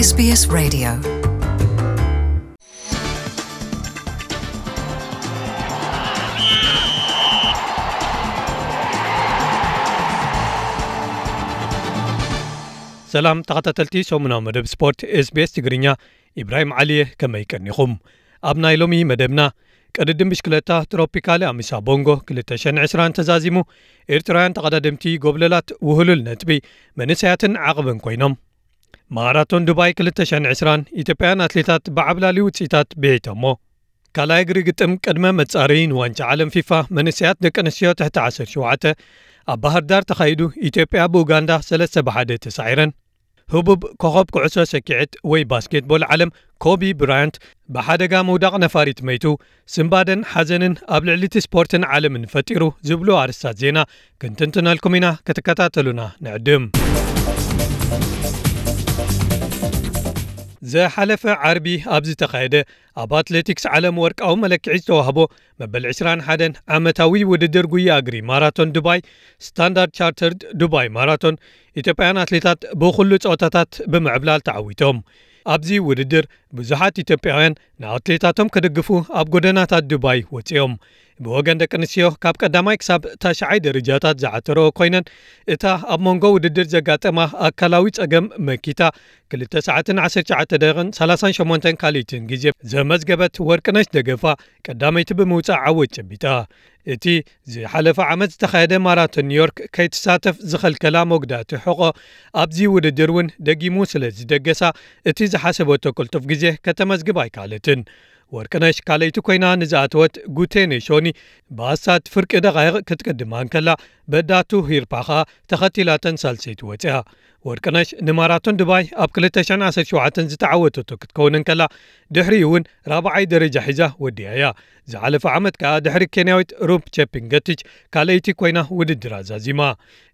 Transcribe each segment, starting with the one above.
SBS Radio. ሰላም ተኸታተልቲ ሰሙናዊ መደብ ስፖርት SBS ትግርኛ፣ ኢብራሂም ዓሊየ፣ ከመይ ቀኒኹም? ኣብ ናይ ሎሚ መደብና፣ ቅድድም ብሽክለታ ትሮፒካሊ ኣሚሳ ቦንጎ ክልተ ሽሕን ዕስራን ተዛዚሙ፣ ኤርትራውያን ተቐዳደምቲ ጎብለላት ውህሉል ነጥቢ፣ መንእሰያትን ዓቕብን ኮይኖም። ማራቶን ዱባይ ክልተ ሽሕን ዕስራን፣ ኢትዮጵያውያን ኣትሌታት ብዓብላሊ ውጽኢታት ብዒቶሞ። ካልኣይ እግሪ ግጥም ቅድመ መጻረዪ ንዋንጫ ዓለም ፊፋ መንእሰያት ደቂ ኣንስትዮ ትሕቲ ዓሰርተ ሸውዓተ ኣብ ባህር ዳር ተኻይዱ፣ ኢትዮጵያ ብኡጋንዳ ሰለስተ ብሓደ ተሳዒረን። ህቡብ ኮኸብ ኩዕሶ ሰኪዐት ወይ ባስኬትቦል ዓለም ኮቢ ብራያንት ብሓደጋ ምውዳቕ ነፋሪት መይቱ፣ ስንባደን ሓዘንን ኣብ ልዕሊ እቲ ስፖርትን ዓለምን ፈጢሩ ዝብሉ ኣርእስታት ዜና ክንትንትነልኩም ኢና፣ ክትከታተሉና ንዕድም። ዝሓለፈ ዓርቢ ኣብ ዝተኻየደ ኣብ ኣትሌቲክስ ዓለም ወርቃዊ መለክዒ ዝተዋህቦ መበል ዕስራን ሓደን ዓመታዊ ውድድር ጉያ እግሪ ማራቶን ዱባይ ስታንዳርድ ቻርተርድ ዱባይ ማራቶን ኢትዮጵያውያን ኣትሌታት ብኹሉ ጸወታታት ብምዕብላል ተዓዊቶም። ኣብዚ ውድድር ብዙሓት ኢትዮጵያውያን ንኣትሌታቶም ክድግፉ ኣብ ጎደናታት ዱባይ ወጺኦም። ብወገን ደቂ ኣንስትዮ ካብ ቀዳማይ ክሳብ ታሽዓይ ደረጃታት ዝዓተረኦ ኮይነን፣ እታ ኣብ መንጎ ውድድር ዘጋጠማ ኣካላዊ ጸገም መኪታ ክልተ ሰዓትን ዓሰርተ ትሽዓተ ደቂቕን ሰላሳን ሸሞንተን ካልኢትን ግዜ ዘመዝገበት ወርቅነሽ ደገፋ ቀዳመይቲ ብምውጻእ ዓወት ጨቢጣ። እቲ ዝሓለፈ ዓመት ዝተኻየደ ማራቶን ኒውዮርክ ከይትሳተፍ ዝኸልከላ መጉዳእቲ ሕቖ ኣብዚ ውድድር እውን ደጊሙ ስለ ዝደገሳ፣ እቲ ዝሓሰበቶ ቅልጡፍ ግዜ ከተመዝግብ ኣይከኣለትን። ወርቅነሽ ካልኣይቲ ኮይና ንዝኣተወት ጉቴ ኔሾኒ ብኣሳት ፍርቂ ደቓይቕ ክትቅድማ እንከላ፣ በዳቱ ሂርፓ ኸኣ ተኸቲላተን ሳልሰይቲ ወጺኣ። ወርቅነሽ ንማራቶን ዱባይ ኣብ ክልተ ሽሕን ዓሰርተ ሸውዓተን ዝተዓወተቶ ክትከውን እንከላ፣ ድሕሪኡ እውን ራብዓይ ደረጃ ሒዛ ወዲኣ እያ። ዝሓለፈ ዓመት ከኣ ድሕሪ ኬንያዊት ሩፕ ቼፕንገቲች ካልኣይቲ ኮይና ውድድር ኣዛዚማ።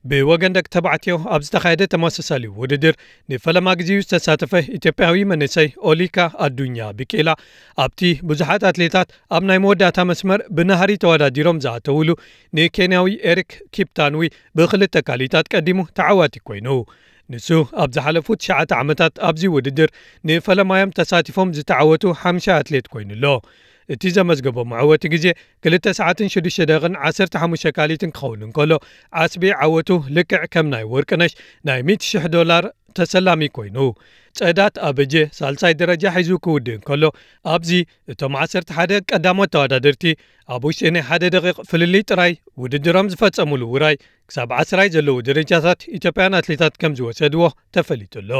ብወገን ደቂ ተባዕትዮ ኣብ ዝተኻየደ ተመሳሳሊ ውድድር ንፈለማ ግዜኡ ዝተሳተፈ ኢትዮጵያዊ መንእሰይ ኦሊካ ኣዱኛ ቢቂላ ኣብቲ ብዙሓት ኣትሌታት ኣብ ናይ መወዳእታ መስመር ብናህሪ ተወዳዲሮም ዝኣተውሉ ንኬንያዊ ኤሪክ ኪፕታንዊ ብኽልተ ካልኢታት ቀዲሙ ተዓዋቲ ኮይኑ። ንሱ ኣብ ዝሓለፉ ትሽዓተ ዓመታት ኣብዚ ውድድር ንፈለማዮም ተሳቲፎም ዝተዓወቱ ሓምሻይ ኣትሌት ኮይኑ ኣሎ። እቲ ዘመዝገቦ መዕወቲ ግዜ ክልተ ሰዓትን ሽዱሽተ ደቂቕን ዓሰርተ ሓሙሽተ ካልኢትን ክኸውን እንከሎ፣ ዓስቢ ዓወቱ ልክዕ ከም ናይ ወርቅነሽ ናይ ሚእቲ ሽሕ ዶላር ተሰላሚ ኮይኑ። ጸዳት ኣበጀ ሳልሳይ ደረጃ ሒዙ ክውድእ እንከሎ፣ ኣብዚ እቶም ዓሰርተ ሓደ ቀዳሞት ተወዳደርቲ ኣብ ውሽጢ ናይ ሓደ ደቂቕ ፍልልይ ጥራይ ውድድሮም ዝፈጸሙሉ ውራይ ክሳብ ዓስራይ ዘለዉ ደረጃታት ኢትዮጵያን ኣትሌታት ከም ዝወሰድዎ ተፈሊጡ ኣሎ።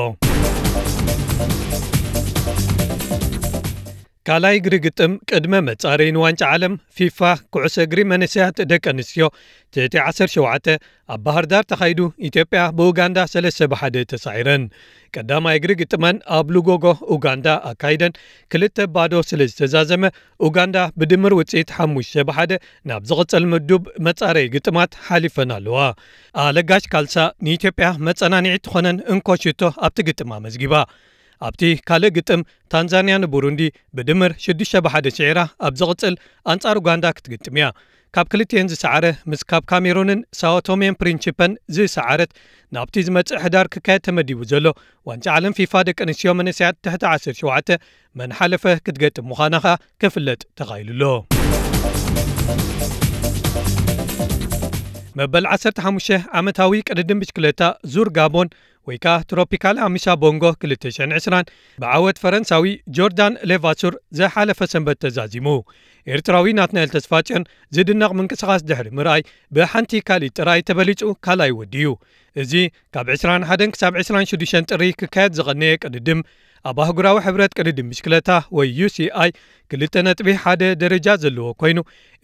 ካልኣይ እግሪ ግጥም ቅድመ መጻረዪ ንዋንጫ ዓለም ፊፋ ኩዕሶ እግሪ መንእሰያት ደቂ ኣንስትዮ ትሕቲ ዓሰርተ ሸውዓተ ኣብ ባህር ዳር ተኻይዱ፣ ኢትዮጵያ ብኡጋንዳ ሰለስተ ብሓደ ተሳዒረን። ቀዳማይ እግሪ ግጥመን ኣብ ሉጎጎ ኡጋንዳ ኣካይደን ክልተ ባዶ ስለ ዝተዛዘመ፣ ኡጋንዳ ብድምር ውጽኢት ሓሙሽተ ብሓደ ናብ ዝቕጽል ምዱብ መጻረዪ ግጥማት ሓሊፈን ኣለዋ። ኣለጋሽ ካልሳ ንኢትዮጵያ መጸናንዒ ትኾነን እንኮ ሽቶ ኣብቲ ግጥም ኣመዝጊባ። ኣብቲ ካልእ ግጥም፣ ታንዛንያ ንቡሩንዲ ብድምር ሽዱሽተ ብሓደ ስዒራ ኣብ ዝቕጽል ኣንጻር ኡጋንዳ ክትግጥም እያ። ካብ ክልቲኤን ዝሰዓረ፣ ምስ ካብ ካሜሩንን ሳኦቶሜን ፕሪንቺፐን ዝሰዓረት፣ ናብቲ ዝመጽእ ሕዳር ክካየድ ተመዲቡ ዘሎ ዋንጫ ዓለም ፊፋ ደቂ ኣንስትዮ መንእሰያት ትሕቲ ዓሰርተ ሸውዓተ መን ሓለፈ ክትገጥም ምዃና ኸኣ ክፍለጥ ተኻኢሉ ኣሎ። መበል ዓሰርተ ሓሙሽተ ዓመታዊ ቅድድም ብሽክለታ ዙር ጋቦን ወይ ከኣ ትሮፒካል ኣሚሳ ቦንጎ ክልተ ሽሕን ዕስራን ብዓወት ፈረንሳዊ ጆርዳን ሌቫሱር ዝሓለፈ ሰንበት ተዛዚሙ። ኤርትራዊ ናትናኤል ተስፋጽዮን ዝድነቕ ምንቅስቓስ ድሕሪ ምርኣይ፣ ብሓንቲ ካልኢት ጥራይ ተበሊጹ ካልኣይ ወዲዩ። እዚ ካብ ዕስራን ሓደን ክሳብ ዕስራን ሽዱሽተን ጥሪ ክካየድ ዝቐነየ ቅድድም፣ ኣብ ኣህጉራዊ ሕብረት ቅድድም ብሽክለታ ወይ ዩ ሲ ኣይ ክልተ ነጥቢ ሓደ ደረጃ ዘለዎ ኮይኑ፣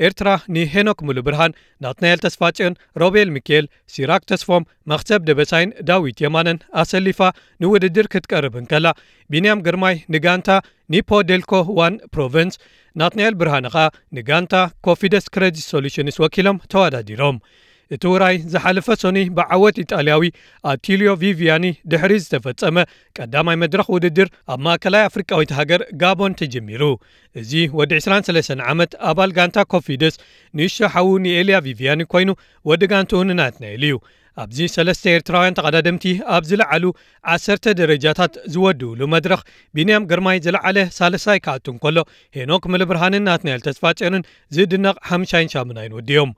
ኤርትራ ንሄኖክ ሙሉብርሃን፣ ናትናኤል ተስፋጽዮን፣ ሮቤል ሚካኤል፣ ሲራክ ተስፎም፣ መኽሰብ ደበሳይን ዳዊት የማነን ኣሰሊፋ ንውድድር ክትቀርብ እንከላ፣ ቢንያም ግርማይ ንጋንታ ኒፖ ዴልኮ ዋን ፕሮቨንስ፣ ናትናኤል ብርሃነ ኸኣ ንጋንታ ኮፊደስ ክሬዲት ሶሉሽንስ ወኪሎም ተወዳዲሮም። እቲ ውራይ ዝሓለፈ ሶኒ ብዓወት ኢጣልያዊ ኣቲልዮ ቪቪያኒ ድሕሪ ዝተፈጸመ ቀዳማይ መድረኽ ውድድር ኣብ ማእከላይ ኣፍሪቃዊት ሃገር ጋቦን ተጀሚሩ። እዚ ወዲ ዕስራን ሰለስተን ዓመት ኣባል ጋንታ ኮፊደስ ንእሽቶ ሓዉ ንኤልያ ቪቪያኒ ኮይኑ፣ ወዲ ጋንትኡ ንናትናኤል እዩ። ኣብዚ ሰለስተ ኤርትራውያን ተቐዳደምቲ ኣብ ዝለዓሉ ዓሰርተ ደረጃታት ዝወድኡሉ መድረኽ፣ ቢንያም ግርማይ ዝለዓለ ሳልሳይ ክኣቱ እንከሎ፣ ሄኖክ ምልብርሃንን ናትናኤል ተስፋጽዮንን ዝድነቕ ሓምሻይን ሻምናይን ወዲዮም።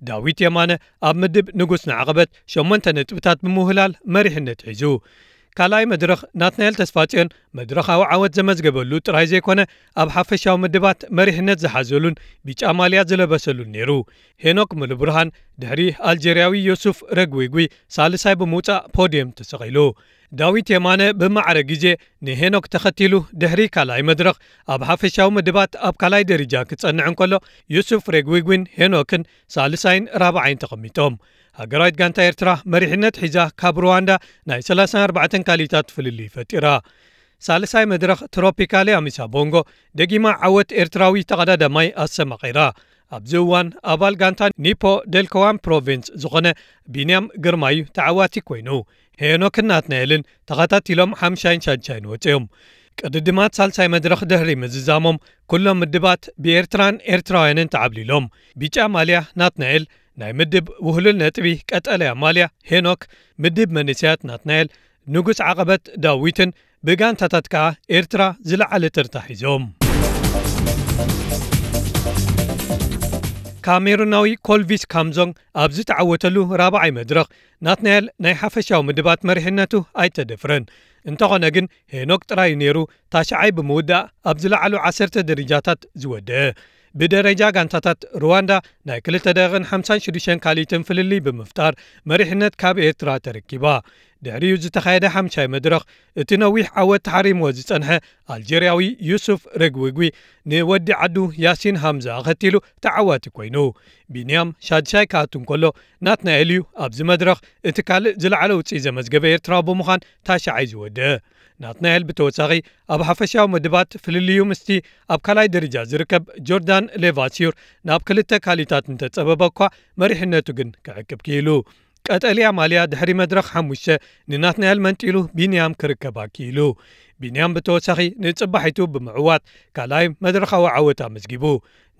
ዳዊት የማነ ኣብ ምድብ ንጉስ ንዓቐበት ሸሞንተ ነጥብታት ብምውህላል መሪሕነት ሒዙ። ካልኣይ መድረኽ፣ ናትናኤል ተስፋጽዮን መድረኻዊ ዓወት ዘመዝገበሉ ጥራይ ዘይኮነ፣ ኣብ ሓፈሻዊ ምድባት መሪሕነት ዝሓዘሉን ቢጫ ማልያ ዝለበሰሉን ነይሩ። ሄኖክ ምሉብርሃን ድሕሪ ኣልጀርያዊ ዮሱፍ ረግዊጉይ ሳልሳይ ብምውጻእ ፖድየም ተሰቒሉ። ዳዊት የማነ ብማዕረ ግዜ ንሄኖክ ተኸቲሉ ድሕሪ ካልኣይ መድረኽ ኣብ ሓፈሻዊ ምድባት ኣብ ካልኣይ ደረጃ ክጸንዕ እንከሎ፣ ዮሱፍ ረግዊጉን ሄኖክን ሳልሳይን ራብዓይን ተቐሚጦም። ሃገራዊት ጋንታ ኤርትራ መሪሕነት ሒዛ ካብ ሩዋንዳ ናይ ሰላሳን ኣርባዕተን ካሊታት ፍልልይ ፈጢራ። ሳልሳይ መድረኽ ትሮፒካሊ ኣሚሳ ቦንጎ ደጊማ ዓወት ኤርትራዊ ተቐዳዳማይ ኣሰማቒራ። ኣብዚ እዋን ኣባል ጋንታ ኒፖ ደልኮዋን ፕሮቪንስ ዝኾነ ቢንያም ግርማዩ ተዓዋቲ ኮይኑ፣ ሄኖክን ናትናኤልን ተኸታቲሎም ሓምሻይን ሻድሻይን ወፂኦም። ቅድድማት ሳልሳይ መድረኽ ድሕሪ ምዝዛሞም፣ ኩሎም ምድባት ብኤርትራን ኤርትራውያንን ተዓብሊሎም። ቢጫ ማልያ ናትናኤል፣ ናይ ምድብ ውህሉል ነጥቢ ቀጠልያ ማልያ ሄኖክ፣ ምድብ መንእሰያት ናትናኤል፣ ንጉስ ዓቐበት ዳዊትን ብጋንታታት ከኣ ኤርትራ ዝለዓለ ተርታ ሒዞም። ካሜሩናዊ ኮልቪስ ካምዞንግ ኣብ ዝተዓወተሉ ራብዓይ መድረኽ፣ ናትናኤል ናይ ሓፈሻዊ ምድባት መሪሕነቱ ኣይተደፍረን። እንተኾነ ግን፣ ሄኖክ ጥራይ ነይሩ ታሽዓይ ብምውዳእ ኣብ ዝለዓሉ ዓሰርተ ደረጃታት ዝወደአ። ብደረጃ ጋንታታት፣ ሩዋንዳ ናይ ክልተ ደቂቕን ሓምሳን ሽዱሽተን ካልኢትን ፍልልይ ብምፍጣር መሪሕነት ካብ ኤርትራ ተረኪባ። ድሕሪኡ ዝተኻየደ ሓምሻይ መድረኽ፣ እቲ ነዊሕ ዓወት ተሓሪምዎ ዝጸንሐ ኣልጀርያዊ ዩሱፍ ረግዊጉ ንወዲ ዓዱ ያሲን ሃምዛ ኣኸቲሉ ተዓዋቲ ኮይኑ። ቢንያም ሻድሻይ ክኣቱ እንከሎ፣ ናትናኤል እዩ ኣብዚ መድረኽ እቲ ካልእ ዝለዓለ ውጽኢት ዘመዝገበ ኤርትራዊ ብምዃን ታሽዓይ ዝወደአ። ናትናኤል ብተወሳኺ ኣብ ሓፈሻዊ ምድባት ፍልልዩ ምስቲ ኣብ ካልኣይ ደረጃ ዝርከብ ጆርዳን ሌቫሲዩር ናብ ክልተ ካልኢታት እንተጸበበ እኳ፣ መሪሕነቱ ግን ክዕቅብ ክኢሉ። ቀጠልያ ማልያ ድሕሪ መድረኽ ሓሙሽተ ንናትናኤል መንጢሉ ቢንያም ክርከባ ክኢሉ። ቢንያም ብተወሳኺ ንጽባሒቱ ብምዕዋት ካልኣይ መድረኻዊ ዓወት ኣመዝጊቡ።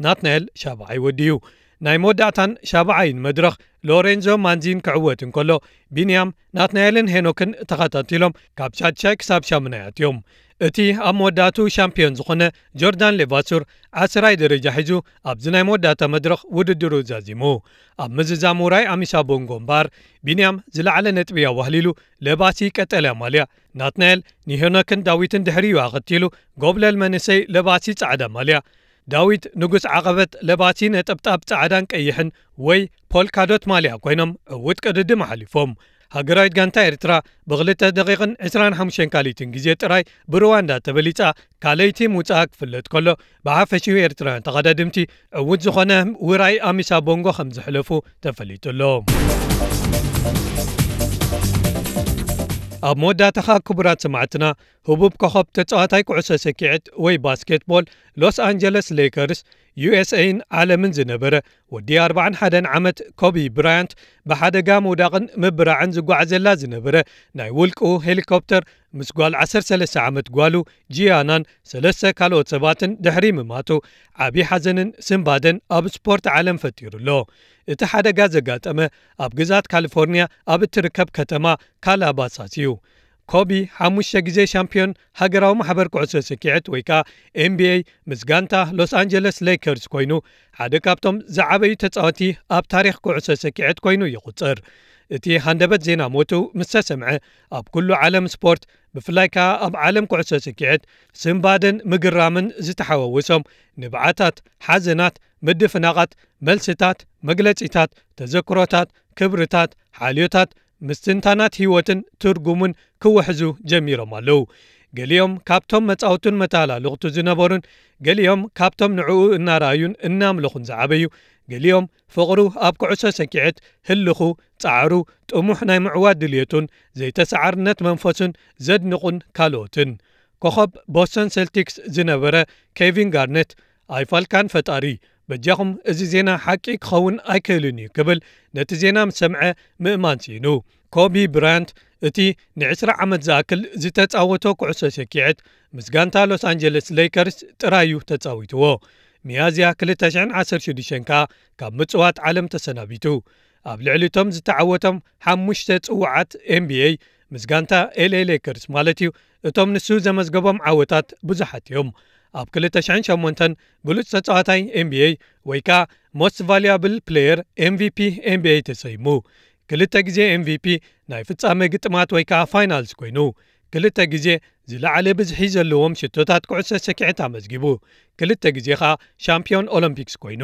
ናትናኤል ሻብዓይ ወዲዩ። ናይ መወዳእታን ሻብዓይን መድረኽ ሎሬንዞ ማንዚን ክዕወት እንከሎ፣ ቢንያም፣ ናትናኤልን ሄኖክን ተኸታቲሎም ካብ ሻድሻይ ክሳብ ሻምናይ ኣትዮም። እቲ ኣብ መወዳእቱ ሻምፒዮን ዝኾነ ጆርዳን ሌቫሱር ዓስራይ ደረጃ ሒዙ ኣብዚ ናይ መወዳእታ መድረኽ ውድድሩ ዛዚሙ። ኣብ ምዝዛም ውራይ ኣሚሳ ቦንጎ እምበኣር፣ ቢንያም ዝለዓለ ነጥቢ ኣዋህሊሉ ለባሲ ቀጠልያ ማልያ፣ ናትናኤል ንሄኖክን ዳዊትን ድሕሪኡ ኣኸቲሉ ጎብለል መንእሰይ ለባሲ ጻዕዳ ማልያ፣ ዳዊት ንጉስ ዓቐበት ለባሲ ነጠብጣብ ጻዕዳን ቀይሕን ወይ ፖልካዶት ማልያ ኮይኖም ዕዉት ቅድድም ኣሕሊፎም። ሃገራዊት ጋንታ ኤርትራ ብክልተ ደቂቕን ዕስራን ሓሙሽተን ካልኢትን ግዜ ጥራይ ብሩዋንዳ ተበሊጻ ካልኣይቲ ምውጻኣ ክፍለጥ ከሎ፣ ብሓፈሽኡ ኤርትራውያን ተቐዳድምቲ ዕዉት ዝኾነ ውራይ ኣሚሳ ቦንጎ ከም ዘሕለፉ ተፈሊጡ ኣሎ። ኣብ መወዳእታ ኸኣ ክቡራት ሰማዕትና፣ ህቡብ ኮኸብ ተጻዋታይ ኩዕሶ ሰኪዐት ወይ ባስኬትቦል ሎስ ኣንጀለስ ሌከርስ፣ ዩ ኤስ ኤን ዓለምን ዝነበረ ወዲ ኣርባዓን ሓደን ዓመት ኮቢ ብራያንት ብሓደጋ ምውዳቕን ምብራዕን ዝጓዓዘላ ዝነበረ ናይ ውልቅኡ ሄሊኮፕተር ምስ ጓል ዓሰርተ ሰለስተ ዓመት ጓሉ ጂያናን ሰለስተ ካልኦት ሰባትን ድሕሪ ምማቱ ዓቢ ሓዘንን ስንባደን ኣብ ስፖርት ዓለም ፈጢሩ ኣሎ። እቲ ሓደጋ ዘጋጠመ ኣብ ግዛት ካሊፎርኒያ ኣብ እትርከብ ከተማ ካላባሳስ እዩ። ኮቢ ሓሙሽተ ግዜ ሻምፒዮን ሃገራዊ ማሕበር ኩዕሶ ሰኪዐት ወይ ከኣ ኤን ቢ ኤ ምስ ጋንታ ሎስ ኣንጀለስ ሌከርስ ኮይኑ ሓደ ካብቶም ዝዓበዩ ተጻወቲ ኣብ ታሪኽ ኩዕሶ ሰኪዐት ኮይኑ ይቑጸር። እቲ ሃንደበት ዜና ሞቱ ምስ ተሰምዐ ኣብ ኩሉ ዓለም ስፖርት ብፍላይ ከኣ ኣብ ዓለም ኩዕሶ ሰኪዐት ስንባደን ምግራምን ዝተሓዋወሶም ንብዓታት፣ ሓዘናት፣ ምድፍናቓት፣ መልስታት፣ መግለጺታት፣ ተዘክሮታት፣ ክብርታት፣ ሓልዮታት፣ ምስትንታናት ህይወትን ትርጉሙን ክውሕዙ ጀሚሮም ኣለዉ። ገሊኦም ካብቶም መጻውቱን መተሃላልኽቱ ዝነበሩን፣ ገሊኦም ካብቶም ንዕኡ እናረኣዩን እናምለኹን ዝዓበዩ፣ ገሊኦም ፍቕሩ ኣብ ኩዕሶ ሰኪዐት፣ ህልኹ፣ ጻዕሩ፣ ጥሙሕ ናይ ምዕዋት ድልየቱን ዘይተሰዓርነት መንፈሱን ዘድንቑን ካልኦትን። ኮኸብ ቦስተን ሴልቲክስ ዝነበረ ኬቪን ጋርነት፣ ኣይፋልካን ፈጣሪ፣ በጃኹም እዚ ዜና ሓቂ ክኸውን ኣይክእልን እዩ ክብል ነቲ ዜና ምስ ሰምዐ ምእማን ስኢኑ። ኮቢ ብራያንት እቲ ንዕስራ ዓመት ዝኣክል ዝተጻወቶ ኩዕሶ ሰኪዐት ምስ ጋንታ ሎስ ኣንጀለስ ሌከርስ ጥራይ እዩ ተጻዊትዎ። ሚያዝያ ክልተ ሽሕን ዓሰርተ ሽዱሽተን ከኣ ካብ ምጽዋት ዓለም ተሰናቢቱ። ኣብ ልዕሊ እቶም ዝተዓወቶም ሓሙሽተ ጽዋዓት ኤንቢኤ ምስ ጋንታ ኤልኤ ሌከርስ ማለት እዩ፣ እቶም ንሱ ዘመዝገቦም ዓወታት ብዙሓት እዮም። ኣብ ክልተ ሽሕን ሸሞንተን ብሉጽ ተጻዋታይ ኤንቢኤ ወይ ከኣ ሞስት ቫልያብል ፕሌየር፣ ኤምቪፒ፣ ኤንቢኤ ተሰይሙ። ክልተ ግዜ ኤምቪፒ ናይ ፍጻመ ግጥማት ወይ ከኣ ፋይናልስ ኮይኑ፣ ክልተ ግዜ ዝለዓለ ብዝሒ ዘለዎም ሽቶታት ኩዕሶ ሰኪዐት ኣመዝጊቡ፣ ክልተ ግዜ ከኣ ሻምፒዮን ኦሎምፒክስ ኮይኑ።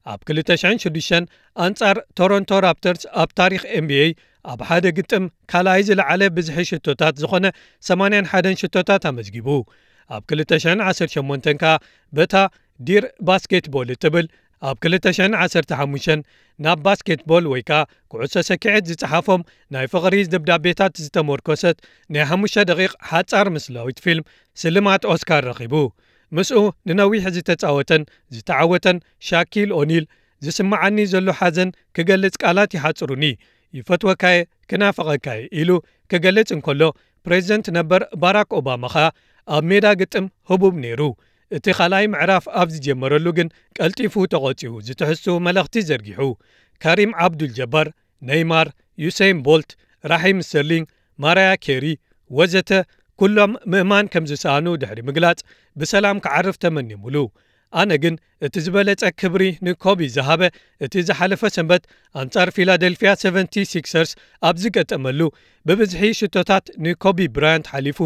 ኣብ ክልተ ሽሕን ሽዱሽተን ኣንጻር ቶሮንቶ ራፕተርስ ኣብ ታሪኽ ኤንቢኤ ኣብ ሓደ ግጥም ካልኣይ ዝለዓለ ብዝሒ ሽቶታት ዝኾነ ሰማንያን ሓደን ሽቶታት ኣመዝጊቡ። ኣብ ክልተ ሽሕን ዓሰርተ ሸሞንተን ከኣ በታ ዲር ባስኬትቦል እትብል ኣብ ክልተ ሽሕን ዓሰርተ ሓሙሽተን ናብ ባስኬትቦል ወይ ከኣ ኩዕሶ ሰኪዐት ዝጸሓፎም ናይ ፍቕሪ ደብዳቤታት ዝተመርኮሰት ናይ ሓሙሽተ ደቂቕ ሓጻር ምስላዊት ፊልም ስልማት ኦስካር ረኺቡ። ምስኡ ንነዊሕ ዝተጻወተን ዝተዓወተን ሻኪል ኦኒል፣ "ዝስምዓኒ ዘሎ ሓዘን ክገልጽ ቃላት ይሓጽሩኒ፣ ይፈትወካየ፣ ክናፍቐካየ" ኢሉ ክገልጽ እንከሎ፣ ፕሬዚደንት ነበር ባራክ ኦባማ ኸኣ ኣብ ሜዳ ግጥም ህቡብ ነይሩ። እቲ ካልኣይ ምዕራፍ ኣብ ዝጀመረሉ ግን ቀልጢፉ ተቖጺሩ ዝትሕዝትኡ መልእኽቲ ዘርጊሑ። ካሪም ዓብዱል ጀባር፣ ኔይማር፣ ዩሰይን ቦልት፣ ራሒም ስተርሊንግ፣ ማራያ ኬሪ ወዘተ ኩሎም ምእማን ከም ዝሰኣኑ ድሕሪ ምግላጽ፣ ብሰላም ክዓርፍ ተመኒሙሉ። ኣነ ግን እቲ ዝበለጸ ክብሪ ንኮቢ ዝሃበ እቲ ዝሓለፈ ሰንበት ኣንጻር ፊላደልፊያ ሰቨንቲ ሲክሰርስ ኣብ ዝገጠመሉ፣ ብብዝሒ ሽቶታት ንኮቢ ብራያንት ሓሊፉ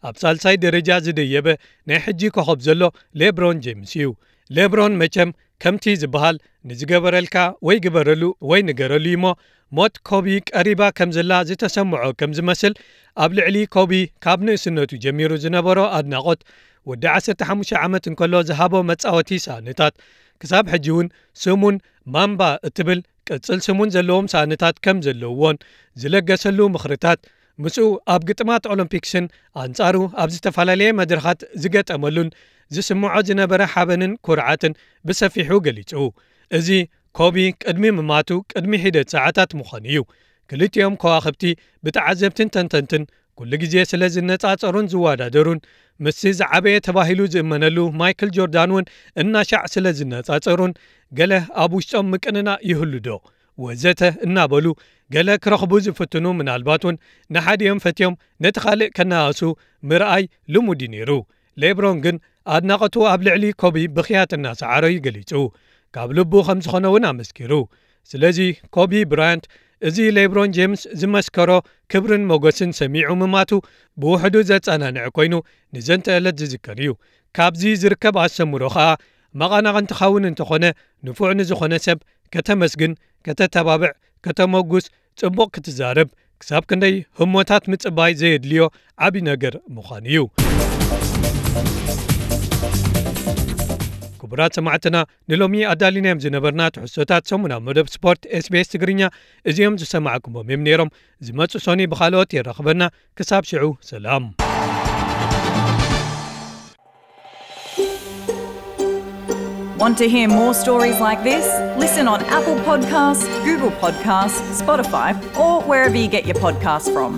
ኣብ ሳልሳይ ደረጃ ዝደየበ ናይ ሕጂ ኮኸብ ዘሎ ሌብሮን ጄምስ እዩ። ሌብሮን መቸም ከምቲ ዝበሃል ንዝገበረልካ ወይ ግበረሉ ወይ ንገረሉ እሞ፣ ሞት ኮቢ ቀሪባ ከም ዘላ ዝተሰምዖ ከም ዝመስል፣ ኣብ ልዕሊ ኮቢ ካብ ንእስነቱ ጀሚሩ ዝነበሮ ኣድናቖት፣ ወዲ ዓሰርተ ሓሙሽተ ዓመት እንከሎ ዝሃቦ መጻወቲ ሳእንታት፣ ክሳብ ሕጂ እውን ስሙን ማምባ እትብል ቅጽል ስሙን ዘለዎም ሳእንታት ከም ዘለውዎን ዝለገሰሉ ምኽርታት፣ ምስኡ ኣብ ግጥማት ኦሎምፒክስን ኣንጻሩ ኣብ ዝተፈላለየ መድረኻት ዝገጠመሉን ዝስምዖ ዝነበረ ሓበንን ኩርዓትን ብሰፊሑ ገሊጹ። እዚ ኮቢ ቅድሚ ምማቱ ቅድሚ ሒደት ሰዓታት ምዃኑ እዩ። ክልቲኦም ከዋኽብቲ ብተዓዘብትን ተንተንትን ኩሉ ግዜ ስለ ዝነጻጸሩን ዝወዳደሩን፣ ምስቲ ዝዓበየ ተባሂሉ ዝእመነሉ ማይክል ጆርዳን እውን እናሻዕ ስለ ዝነጻጸሩን፣ ገለ ኣብ ውሽጦም ምቅንናእ ይህሉ ዶ ወዘተ እናበሉ ገለ ክረኽቡ ዝፍትኑ፣ ምናልባት እውን ንሓዲኦም ፈትዮም ነቲ ካልእ ከነኣእሱ ምርኣይ ልሙድ እዩ ነይሩ። ሌብሮን ግን ኣድናቖቱ ኣብ ልዕሊ ኮቢ ብኽያት እናሰዓሮ እዩ ገሊጹ። ካብ ልቡ ከም ዝኾነ እውን ኣመስኪሩ። ስለዚ ኮቢ ብራያንት እዚ ሌብሮን ጄምስ ዝመስከሮ ክብርን ሞገስን ሰሚዑ ምማቱ ብውሕዱ ዘጸናንዕ ኮይኑ ንዘንተ ዕለት ዝዝከር እዩ። ካብዚ ዝርከብ ኣስተምህሮ ኸኣ መቓናቕን ትኸውን እንተኾነ፣ ንፉዕ ንዝኾነ ሰብ ከተመስግን፣ ከተተባብዕ፣ ከተመጉስ፣ ጽቡቕ ክትዛረብ፣ ክሳብ ክንደይ ህሞታት ምጽባይ ዘየድልዮ ዓቢ ነገር ምዃኑ እዩ። ክቡራት ሰማዕትና፣ ንሎሚ ኣዳሊናዮም ዝነበርና ትሕዝቶታት ሰሙናዊ መደብ ስፖርት ኤስቢኤስ ትግርኛ እዚኦም ዝሰማዕኩሞም እዮም ነይሮም። ዝመጽእ ሶኒ ብኻልኦት የራኽበና። ክሳብ ሽዑ ሰላም። Want to hear more stories like this? Listen on Apple Podcasts, Google Podcasts, Spotify, or wherever you get your podcasts from.